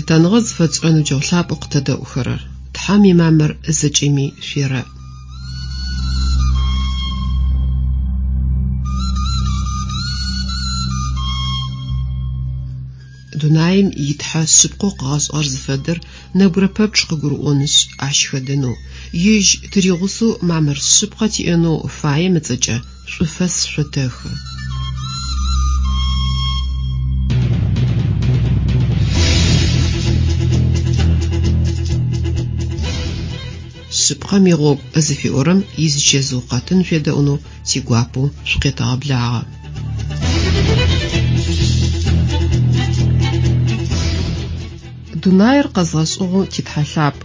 Лъытэныгъэ зыфэтшӏырэ ныбджэгъу лъапӏэу къытэдэӏухэрэр! Тхьэм имамыр зэкӏэми шъуерэӏ! Дунаим и Тхьэ шъыпкъэу къыгъэшӏыгъэр зыфэдэр нэбгырэ пэпчъ къыгурыӏонышъ, ащ хэдэнэу, Ежь тыригъусэу мамыр шъыпкъэ тиӏэнэу фаем ыцӏэкӏэ шӏуфэс шъотэхы. Шъыпкъэм игъогу зыфиӏорэм изичэзыу къэтын шъуедэӏунэу тигуапэу шъукъетэгъэблагъэ. Дунаир къэзгъэшӏыгъэу ти Тхьэ лъапӏ,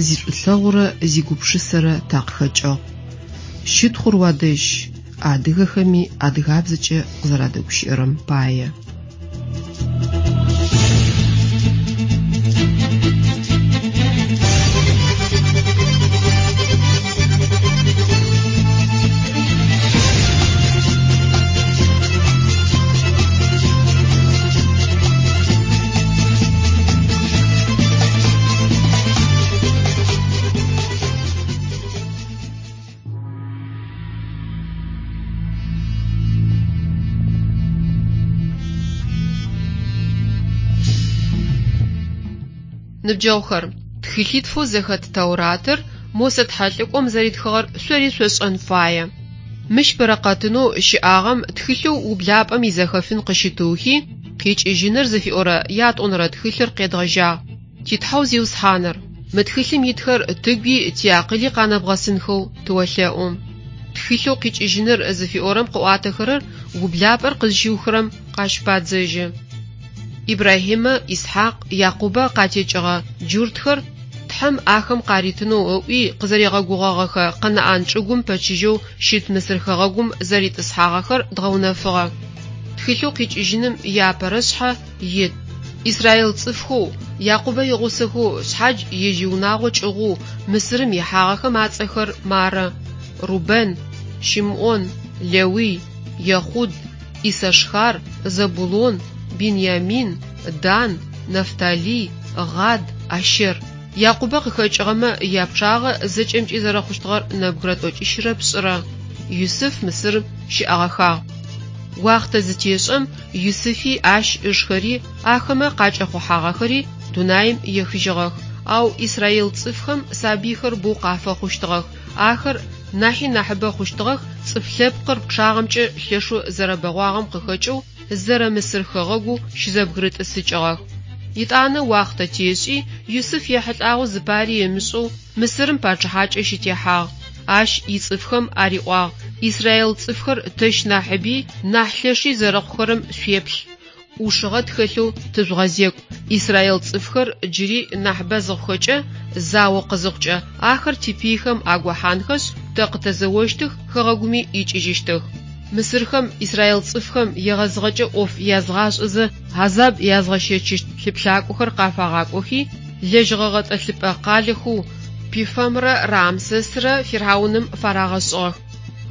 зишӏулъэгъурэ зигупшысэрэ такъыхэкӏыгъ. Щытхъур уадэжь, адыгэхэми адыгабзэкӏэ къызэрадэгущыӏэрэм пае. Ныбджэгъухэр, тхылъитфэу зэхэт Тэуратыр Мосэ тхьэлӏыкӏом зэритхыгъэр шъори шъошӏэн фае. Мыщ бэрэкъэтынэу щыӏагъэм тхылъэу Ублапӏэм изэхэфын къыщытыухи, Къикӏыжьыныр зыфиӏорэ ятӏонэрэ тхылъыр къедгъэжьагъ. Ти Тхьэу Зиусхьаныр, мы тхылъым итхэр тыгуи тиакъыли къанэбгъэсынхэу тыолъэӏу. Тхылъэу Къикӏыжьыныр зыфиӏорэм къыӏуатэхэрэр Ублапӏэр къызщиухырэм къащыпадзэжьы. Ибрахьимэ, Исхьакъ, Якъубэ къатекӏыгъэ джуртхэр Тхьэм ахэм къаритынэу ыӏуи къызэригъэгугъэгъэхэ Къэнаӏан чӏыгум пэчыжьэу щыт Мысыр хэгъэгум зэритӏысхьагъэхэр дгъэунэфыгъэ. Тхылъэу Къикӏыжьыным иапэрэ шъхьэ ит. Израил цӏыфхэу, Якъубэ игъусэхэу шъхьадж ежь иунагъо кӏыгъоу Мысырым ихьагъэхэм ацӏэхэр мары, Рубэн, Щымӏон, Лэуй, Ехъуд, Иссашхар, Зэбулон, Биньямин, Дан, Нафталий, Гъад, Ащэр. Якъубэ къыхэкӏыгъэмэ япчъагъэ зэкӏэмкӏи зэрэхъущтыгъэр нэбгырэ тӏокӏищырэ пшӏырэ. Юсыф Мысырым щыӏэгъэхагъ. Уахътэ зытешӏэм, Юсыфи ащ ышхэри, ахэмэ къакӏэхъухьагъэхэри дунаим ехыжьыгъэх. Ау израил цӏыфхэм сабыйхэр боу къафэхъущтыгъэх, ахэр нахьи нахьыбэ хъущтыгъэх, цӏыф лъэпкъыр пчъагъэмкӏэ лъэшэу зэрэбэгъуагъэм къыхэкӏэу, зэрэ Мысыр хэгъэгоу щызэбгырытӏысыкӏыгъэх. Етӏанэ уахътэ тешӏи, Юсыф ехьылӏагъэу зыпари ымышӏэу Мысырым пачъыхьакӏэ щытехьагъ. Ащ ицӏыфхэм ариӏуагъ, Израил цӏыфхэр тэщ нахьыби, нахь лъэши зэрэхъухэрэм шъуеплъ. ӏушыгъэ тхэлъэу тыжъугъэзекӏу. Израил цӏыфхэр джыри нахьыбэ зыхъухэкӏэ, зао къызыхъукӏэ, ахэр типыйхэм агохьанхэшъ, тэ къытэзэощтых, хэгъэгуми икӏыжьыщтых. Мысырхэм израил цӏыфхэм егъэзыгъэкӏэ ӏоф язгъашӏэзэ хьазаб язгъэщэчыщт лъыплъакӏохэр къафагъакӏохи, лэжьыгъэ гъэтӏылъыпӏэ къалэхэу Пифэмрэ Рамсэсрэ фирхьауным фарагъэшӏыгъэх.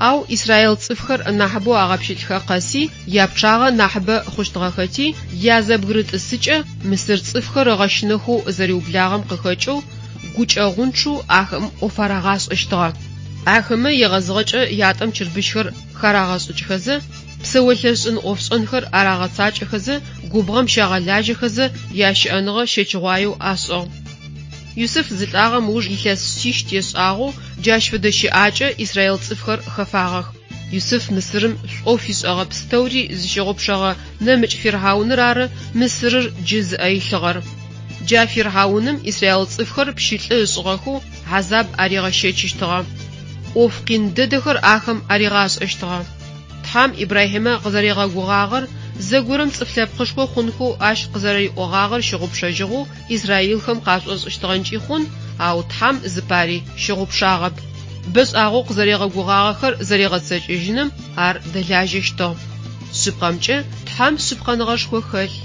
Ау израил цӏыфхэр нахьыбэу агъэпщылӏхэ къэси, япчъагъэ нахьыбэ хъущтыгъэхэти, язэбгырытӏысыкӏэ мысыр цӏыфхэр ыгъэщынэхэу зэриублагъэм къыхэкӏэу, гукӏэгъунчъэу ахэм ӏоф арагъашӏэщтыгъэ. Ахэмэ егъэзыгъэкӏэ ятӏэм чырбыщхэр харагъэшӏыкӏхэзэ, псэолъэшӏын ӏофшӏэнхэр арагъэцакӏэхэзэ, губгъом щагъэлажьэхэзэ ящыӏэныгъэ щэчыгъуаеу ашӏыгъ. Юсыф зылӏагъэм ыуж илъэс шъищ тешӏагъэу джащ фэдэ щыӏакӏэ израил цӏыфхэр хэфагъэх. Юсыф Мысырым шӏоу фишӏэгъэ пстэури зыщыгъупшэгъэ нэмыкӏ фирхьауныр ары Мысырыр джы зыӏэ илъыгъэр. Джа фирхьауным израил цӏыфхэр пщылӏы ышӏыгъэхэу хьазаб аригъэщэчыщтыгъэ. ӏоф къин дэдэхэр ахэм аригъашӏэщтыгъэ. Тхьэм Ибрахьимэ къызэригъэгугъагъэр, зэгорэм цӏыф лъэпкъышхо хъунхэу ащ къызэрэриӏогъагъэр щыгъупшэжьыгъэу израилхэм къашӏошӏыщтыгъэнкӏи хъун, ау Тхьэм зыпари щыгъупшагъэп. Бэшӏагъэу къызэригъэгугъагъэхэр зэригъэцэкӏэжьыным ар дэлажьэщтыгъ. Шъыпкъэмкӏэ, Тхьэм шъыпкъэныгъэшхо хэлъ,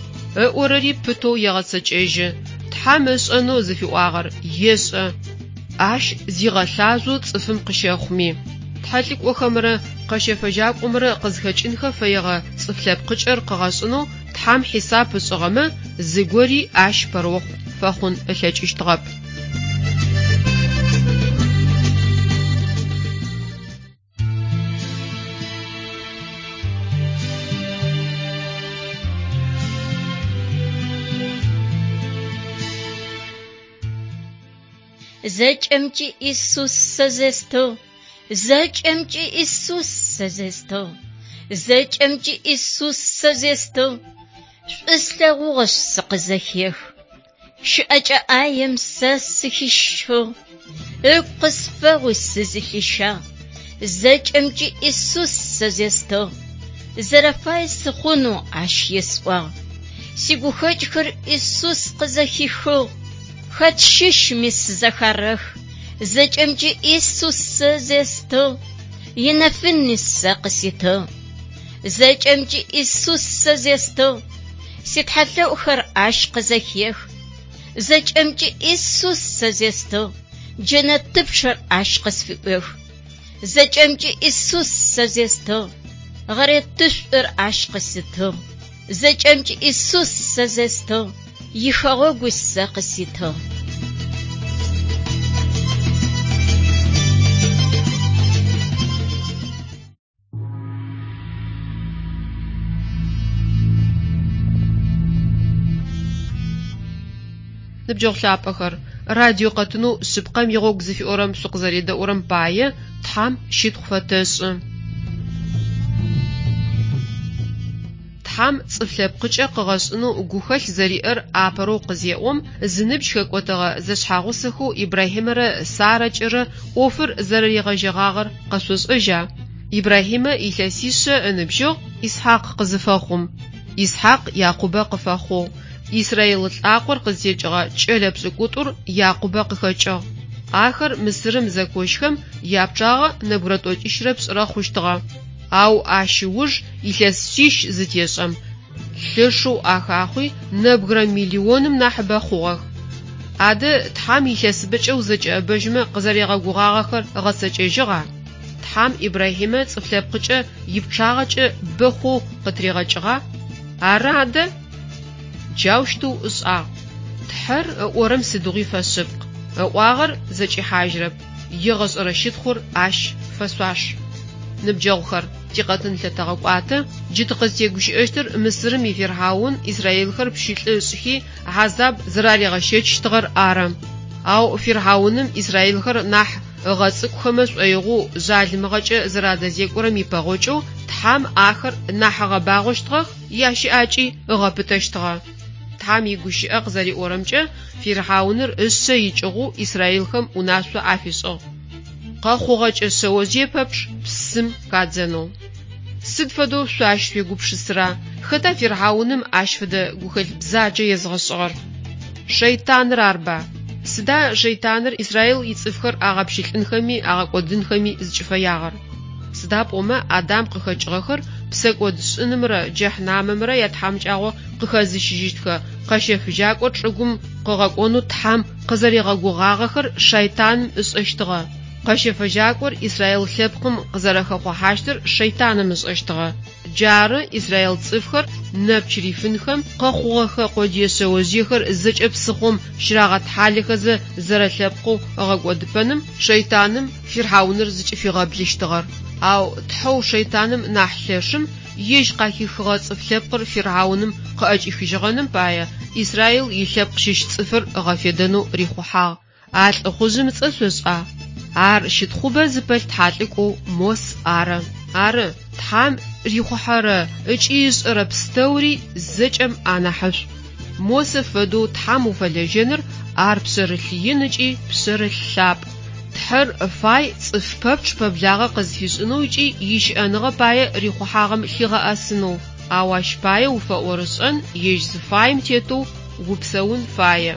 ыӏорэри пытэу егъэцэкӏэжьы. Тхьэм ышӏэнэу зыфиӏуагъэр ешӏэ. Ащ зигъэлъажъоу цӏыфым къыщэхъуми, тхьэлӏыкӏохэмрэ къэщэфэжьакӏомрэ къызхэкӏынхэ фэегъэ цӏыф лъэпкъыкӏэр къыгъэшӏынэу Тхьэм хьисап ышӏыгъэмэ, Зыгори ащ пэрыохъу фэхъун ылъэкӏыщтыгъэп. Зэкӏэмкӏи Исус сэ зестыгъ, зэкӏэмкӏи Исус сэ зестыгъ, зэкӏэмкӏи Исус сэ зестыгъ. Шӏу слъэгъугъэшъ сыкъызэхех. Щыӏэкӏэ ӏаем сэ сыхищыгъ, ыгу къысфэгъуи сызылъищагъ. Зэкӏэмкӏи Исус сэ зестыгъ, зэрэфае сыхъунэу ащ есӏуагъ. Сигухэкӏхэр Исус къызэхихыгъ, хэт щыщми сызэхарэх. Зэкӏэмкӏи Исус сэ зестыгъ, инэфыни сэ къыситыгъ. Зэкӏэмкӏи Исус сэ зестыгъ, ситхьэлъэӏухэр ащ къызэхех. Зэкӏэмкӏи Исус сэ зестыгъ, джэнэтыпчъэр ащ къысфыӏуех. Зэкӏэмкӏи Исус сэ зестыгъ, гъэретышӏур ащ къыситыгъ. Зэкӏэмкӏи Исус сэ зестыгъ, ихэгъэгу сэ къыситыгъ. Ныбджэгъу лъапӏэхэр, радио къэтынэу Шъыпкъэм игъогу зыфиӏорэм шъукъызэредэӏурэм пае Тхьам щытхъу фэтэшӏы. Тхьам цӏыф лъэпкъыкӏэ къыгъэшӏынэу гухэлъ зэриӏэр апэрэу къызеӏом, зыныбжь хэкӏотэгъэ зэшъхьагъусэхэу Ибрахьимэрэ Сарэкӏэрэ ӏофыр зэрэригъэжьэгъагъэр къэшъошӏэжьа? Ибрахьимэ илъэсишъэ ыныбжьыгъ Исхьакъ къызыфэхъум. Исхьакъ Якъубэ къыфэхъугъ. Израил лӏакъор къызтекӏыгъэ кӏэлэ пшӏыкӏутӏур Якъубэ къыхэкӏыгъ. Ахэр Мысырым зэкощхэм япчъагъэ нэбгырэ тӏокӏищрэ пшӏырэ хъущтыгъэ. Ау ащ ыуж илъэс шъищ зытешӏэм, лъэшэу ахахъуи нэбгырэ миллионым нахьыбэ хъугъэх. Адэ Тхьам илъэсыбэкӏэ узэкӏэӏэбэжьмэ къызэригъэгугъагъэхэр ыгъэцэкӏэжьыгъа? Тхьам Ибрахьимэ цӏыф лъэпкъыкӏэ ипчъагъэкӏэ бэ хъоу къытыригъэкӏыгъа? Ары адэ! Джаущтэу ышӏагъ. Тхьэр ыӏорэм сыдигъуи фэшъыпкъ, ыӏуагъэр зэкӏихьажьырэп, егъэшӏэрэ щытхъур ащ фэшъуаш. Ныбджэгъухэр, тикъэтын лъэтэгъэкӏуатэ, джы тыкъызтегущыӏэщтыр Мысырым ифирхьаун израилхэр пщылӏы ышӏхи хьазаб зэраригъэщэчщтыгъэр ары. Ау фирхьауным израилхэр нахь ыгъэцӏыкӏухэмэ шӏоигъоу жъалымыгъэкӏэ зэрадэзекӏорэм ипэгъокӏэу Тхьам ахэр нахь ыгъэбагъощтыгъэх, ящыӏакӏи ыгъэпытэщтыгъэ. Тхьам игущыӏэ къызэриӏорэмкӏэ, фирхьауныр ышъэ икӏыгъэу израилхэм унашъо афишӏыгъ. Къэхъугъэкӏэ шъэожъые пэпчъ псым хадзэнэу. Сыд фэдэу шъо ащ шъуегупшысыра? Хэта фирхьауным ащ фэдэ гухэлъ бзаджэ езыгъэшӏыгъэр? Шэйтаныр арба? Сыда шэйтаныр Израил ицӏыфхэр агъэпщылӏынхэми агъэкӏодынхэми зыкӏыфэягъэр? Сыда пӏомэ Адам къыхэкӏыгъэхэр псэкӏод шӏынымрэ джэхьнамымрэ ятхьамыкӏагъо къыхэзыщыжьыщтхэ къэщэфыжьакӏо чӏыгум къыгъэкӏонэу Тхьам къызэригъэгугъагъэхэр шэйтаным ышӏэщтыгъэ. Къэщэфыжьакӏор Израил лъэпкъым къызэрэхэхъухьащтыр шэйтаным ышӏэщтыгъэ. Джары израил цӏыфхэр нэпч рифынхэм, къэхъугъэхэ къодые шъэожъыехэр зэкӏэ псыхъом щырагъэтхьалэхэзэ зэрэлъэпкъэу ыгъэкӏодыпэным шэйтаным фирхьауныр зыкӏыфигъэблыщтыгъэр. Ау Тхьэу шэйтаным нахь лъэшым ежь къахихыгъэ цӏыф лъэпкъыр фирхьауным къыӏэкӏихыжьыгъэным пае Израил илъэпкъ щыщ цӏыфыр ыгъэфедэнэу рихъухьагъ. А лӏыхъужъым ыцӏэ шъошӏа? Ар щытхъубэ зыпэлъ тхьалӏыкӏоу Мос ары. Ары, Тхьам рихъухьэрэ ыкӏи ышӏэрэ пстэури зэкӏэм анахьышӏу. Мосэ фэдэу Тхьам уфэлэжьэныр ар пшъэрылъ ин ыкӏи пшъэрылъ лъапӏ. Тхьэр фай цӏыф пэпчъ пэблагъэ къызфишӏынэу ыкӏи ищыӏэныгъэ пае рихъухьагъэм лъигъэӏэсынэу, ау ащ пае уфэӏорышӏэн ежь зыфаем тетэу упсэун фае.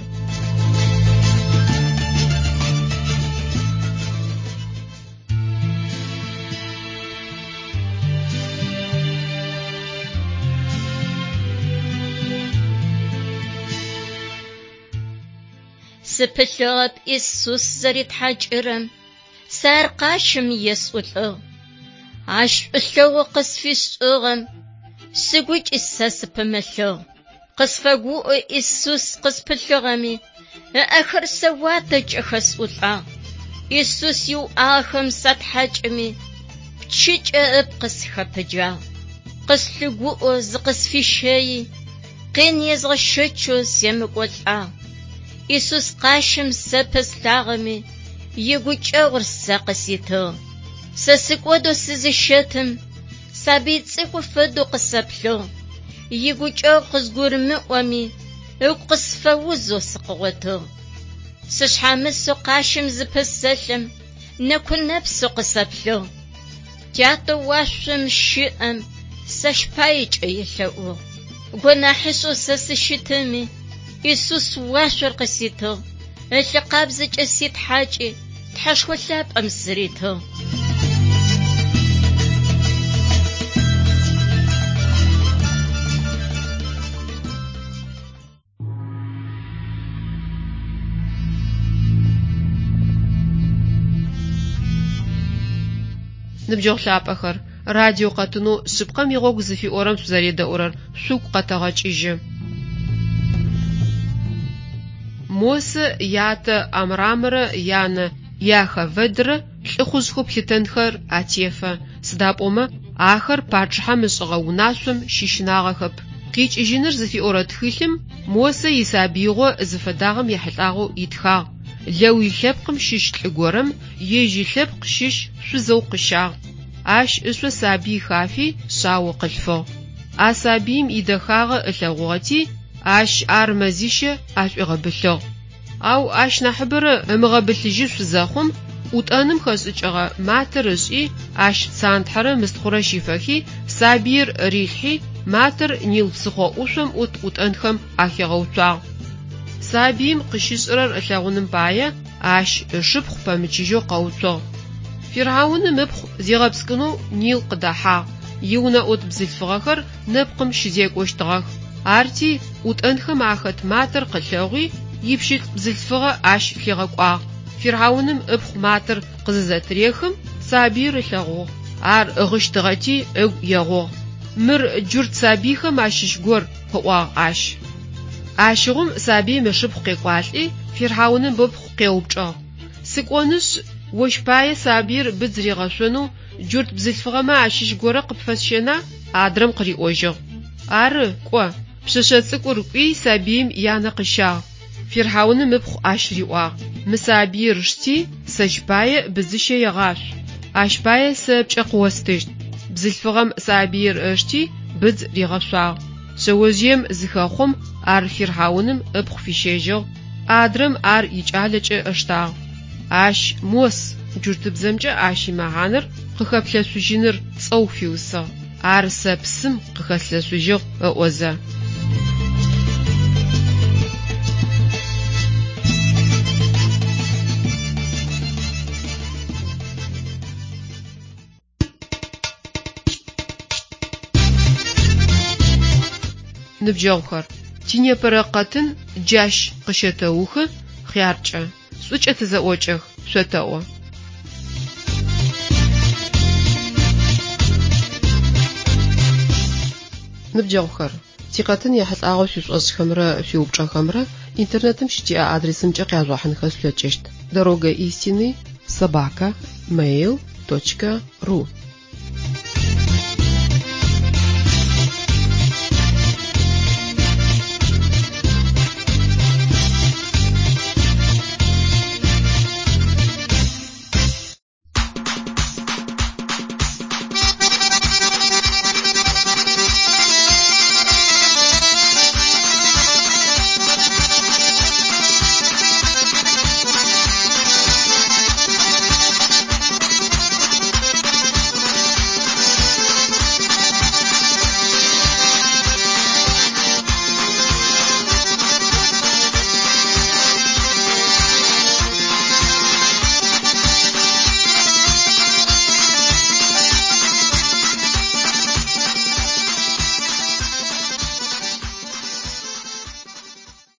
Сыпылъыгъэп Исус зэритхьакӏырэм, сэ ар къащым есӏулӏыгъ. Ащ шӏулъэгъу къысфишӏыгъэм сыгукӏи сэ сыпымылъыгъ. Къысфэгуӏэу Исус къыспылъыгъэми, ыӏэхэр сэ уатэкӏэ хэсӏулӏагъ. Исус иуӏагъэхэм сатхьакӏыми, пчыкӏэ ыпкъ сыхэпыджагъ. Къыслъыгуӏэу зыкъысфищэи, къин езгъэщэчэу семыкӏолӏагъ. Исус къащым сэ пэслъагъэми, игукӏэгъур сэ къыситыгъ. Сэ сыкӏодэу сызыщэтым, сабый цӏыкӏу фэдэу къысэплъыгъ. Игукӏэгъу къызгурымыӏоми, ыгу къысфэузэу сыкъыгъотыгъ. Сышъхьамысэу къащым зыпысэлъым, нэку-нэпсэу къысэплъыгъ. Тятэу уашъом щыӏэм сэщ паекӏэ елъэӏугъ. Гонахьышӏэу сэ сыщытыми, Исус уашъор къыситыгъ, ылъы къабзэкӏэ ситхьакӏи, Тхьэшхо лъапӏэм сыритыгъ. Ныбджэгъу лъапӏэхэр, радио къэтынэу Шъыпкъэм игъогу зыфиӏорэм шъузэредэӏурэр шъугу къэтэгъэкӏыжьы. Мосэ ятэ Амрамрэ янэ Иохавэдрэ лӏыхъужъхэу плъытэнхэр атефэ, сыда пӏомэ ахэр пачъыхьэм ышӏыгъэ унашъом щыщынагъэхэп. Къикӏыжьыныр зыфиӏорэ тхылъым Мосэ исабыигъо зыфэдагъэм ехьылӏагъэу итхагъ, Лэуй лъэпкъым щыщ лӏы горэм ежь илъэпкъ щыщ шъузэу къыщагъ. Ащ ышъо сабый хафи шъао къылъфыгъ. А сабыим идэхагъэ ылъэгъугъэти, ащ ар мэзищэ ашӏуигъэбылъыгъ. Ау ащ нахьыбэрэ ымыгъэбылъыжьышъу зэхъум, ӏутӏэным хэшӏыкӏыгъэ матэр ышӏи, ащ цантхьэрэ мыстхъурэ щифэхи, сабыир рилъхьи, матэр Нил псыхъо ӏушъом ӏут ӏутӏэнхэм ахигъэуцуагъ. Сабыим къыщышӏырэр ылъэгъуным пае ащ ышыпхъу пэмычыжьэу къэуцугъ. Фирхьауным ыпхъу зигъэпскӏынэу Нил къыдэхьагъ, иунэӏут бзылъфыгъэхэр нэпкъым щызекӏощтыгъэх. Арти, ӏутӏэнхэм ахэт матэр къылъэгъуи, ипщылӏ бзылъфыгъэ ащ лъигъэкӏуагъ. Фирхьауным ыпхъу матэр къызызэтырехым, сабыир ылъэгъугъ. Ар гъыщтыгъэти, ыгу егъугъ. Мыр джурт сабыйхэм ащыщ гор, къыӏуагъ ащ. Ащыгъум сабыим ышыпхъу къекӏуалӏи, фирхьауным ыпхъу къеупчӏыгъ, Сыкӏонышъ, ощ пае сабыир быдз ригъэшъонэу джурт бзылъфыгъэмэ ащыщ горэ къыпфэсщэна? Адрэм къыриӏожьыгъ, Ары, кӏо. Пшъэшъэ цӏыкӏур кӏуи сабыим янэ къыщагъ. Фирхьауным ыпхъу ащ риӏуагъ, Мы сабыир шти, сэщ пае быдзыщэ егъашъу. Ащ пае сэ ыпкӏэ къыостыщт. Бзылъфыгъэм сабыир ышти, быдз ригъэшъуагъ. Шъэожъыем зыхэхъом, ар фирхьауным ыпхъу фищэжьыгъ, адрэм ар икӏалэкӏэ ыштагъ. Ащ Мос, джуртыбзэмкӏэ ащ имэхьанэр къыхэплъэшъужьыныр цӏэу фиусыгъ, ар сэ псым къыхэслъэшъужьыгъ ыӏозэ. Ныбджэгъухэр, тинепэрэ къэтын джащ къыщэтэухы, хъяркӏэ. Шӏукӏэ тызэӏокӏэх, шъотэӏо. Ныбджэгъухэр, тикъэтын ехьылӏагъэу шъуишӏошӏхэмрэ шъуиупчӏэхэмрэ интернетым щытиӏэ адресымкӏэ къяжъугъэхьынхэ шъулъэкӏыщт: Дорога истины собака mail точка ру.